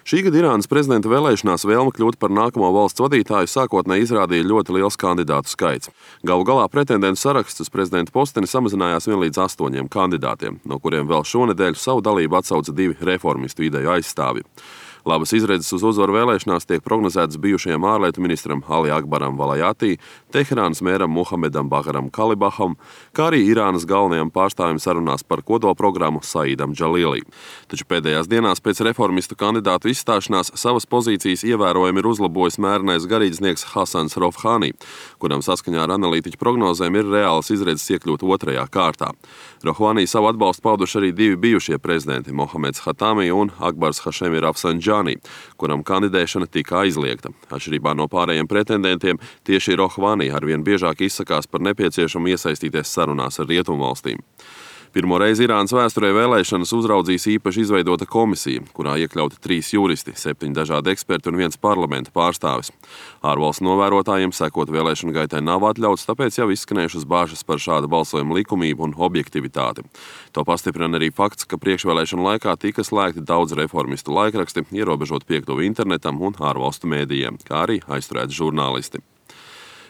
Šī gada Irānas prezidenta vēlēšanās vēlme kļūt par nākamo valsts vadītāju sākotnēji izrādīja ļoti liels kandidātu skaits. Galu galā pretendentu saraksts uz prezidenta posteni samazinājās vien līdz 8 kandidātiem, no kuriem vēl šonedēļ savu dalību atsauca 2 reformistu ideju aizstāvji. Labas izredzes uz uzvaru vēlēšanās tiek prognozētas bijušajam ārlietu ministram Ali Akbaram Valajatī, Teherānas mēram Muhamedam Bagaram Kalibaham, kā arī Irānas galvenajam pārstāvim sarunās par kodolprogrammu Saidam Džalīlī. Taču pēdējās dienās pēc reformistu kandidātu izstāšanās savas pozīcijas ievērojami ir uzlabojis mērenais garīdznieks Hasans Rovhani, kuram saskaņā ar analītiķu prognozēm ir reālas izredzes iekļūt 2. kārtā. Rovhani savu atbalstu pauduši arī 2 bijušie prezidenti Mohameds Hatami un Akbars Hašemi Rafsanjani, kuram kandidēšana tika aizliegta. Atšķirībā no pārējiem pretendentiem, tieši Rovhani arvien biežāk izsakās par nepieciešamu iesaistīties sarunās ar rietumvalstīm. Pirmo reizi Irānas vēsturē vēlēšanas uzraudzīs īpaši izveidota komisija, kurā iekļauti 3 juristi, 7 dažādi eksperti un 1 parlamenta pārstāvis. Ārvalstu novērotājiem sekot vēlēšanu gaitai nav atļauts, tāpēc jau izskanējušas bāžas par šādu balsojumu likumību un objektivitāti. To pastiprina arī fakts, ka priekšvēlēšanu laikā tika slēgti daudz reformistu laikraksti, ierobežot piekļuvi internetam un ārvalstu mēdījiem, kā arī aizturēti žurnālisti.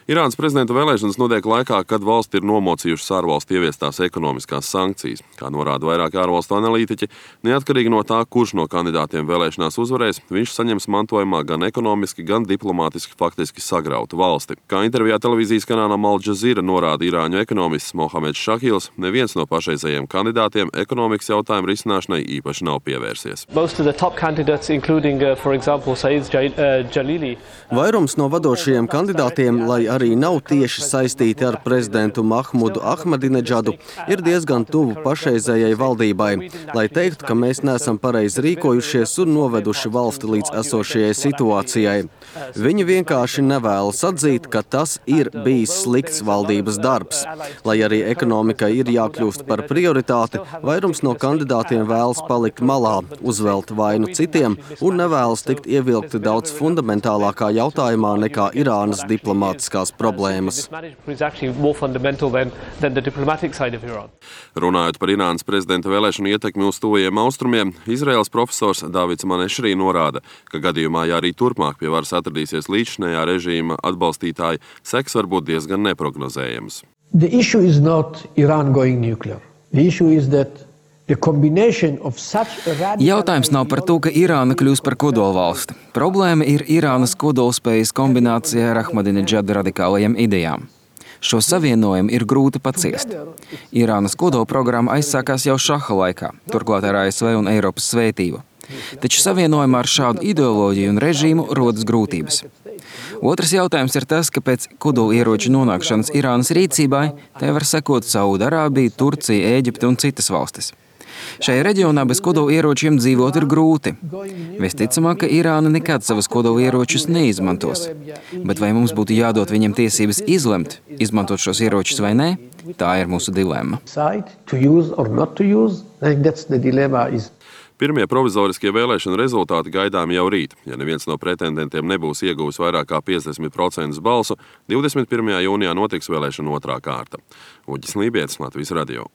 Irānas prezidenta vēlēšanas notiek laikā, kad valsti ir nomocījušas ārvalstu ieviestās ekonomiskās sankcijas. Kā norāda vairāki ārvalstu analītiķi, neatkarīgi no tā, kurš no kandidātiem vēlēšanās uzvarēs, viņš saņems mantojumā gan ekonomiski, gan diplomātiski faktiski sagrautu valsti. Kā intervijā televīzijas kanālam Al Jazeera norāda irāņu ekonomists Mohameds Šahils, neviens no pašreizējiem kandidātiem ekonomikas jautājumu risināšanai īpaši nav pievērsies. Vairums no vadošajiem kandidātiem, lai arī nav tieši saistīti ar prezidentu Mahmudu Ahmadinedžadu, ir diezgan tuvu pašreizējai valdībai, lai teiktu, ka mēs neesam pareizi rīkojušies un noveduši valsti līdz esošajai situācijai. Viņi vienkārši nevēlas atzīt, ka tas ir bijis slikts valdības darbs. Lai arī ekonomikai ir jākļūst par prioritāti, vairums no kandidātiem vēlas palikt malā, uzvelt vainu citiem un nevēlas tikt ievilkti daudz fundamentālākā jautājumā nekā Irānas diplomātiskās problēmas. Runājot par Irānas prezidenta vēlēšanu ietekmi uz tuvajiem austrumiem, Izraēlas profesors Davids Manešrī norāda, ka gadījumā, ja arī turpmāk pie varas atradīsies līdzšinējā režīma atbalstītāji, seks var būt diezgan neprognozējams. Jautājums nav par to, ka Irāna kļūs par kodolvalsti. Problēma ir Irānas kodolspējas kombinācijā ar Ahmadinedžada radikālajiem idejām. Šo savienojumu ir grūti paciest. Irānas kodolprogramma aizsākās jau Šaha laikā, turklāt ar ASV un Eiropas svētību. Taču savienojumā ar šādu ideoloģiju un režīmu rodas grūtības. Otrs jautājums ir tas, ka pēc kodolieroču nonākšanas Irānas rīcībai tai var sekot Saudarābija, Turcija, Ēģipte un citas valstis. Šajā reģionā bez kodolieročiem dzīvot ir grūti. Visticamāk, ka Irāna nekad savas kodolieročus neizmantos. Bet vai mums būtu jādod viņiem tiesības izlemt, izmantot šos ieročus vai nē? Tā ir mūsu dilemma. Pirmie provizoriskie vēlēšanu rezultāti gaidām jau rīt. Ja neviens no pretendentiem nebūs ieguvis vairāk kā 50% balsu, 21. jūnijā notiks vēlēšana 2. kārta. Uģis Lībietis, Latvijas radio.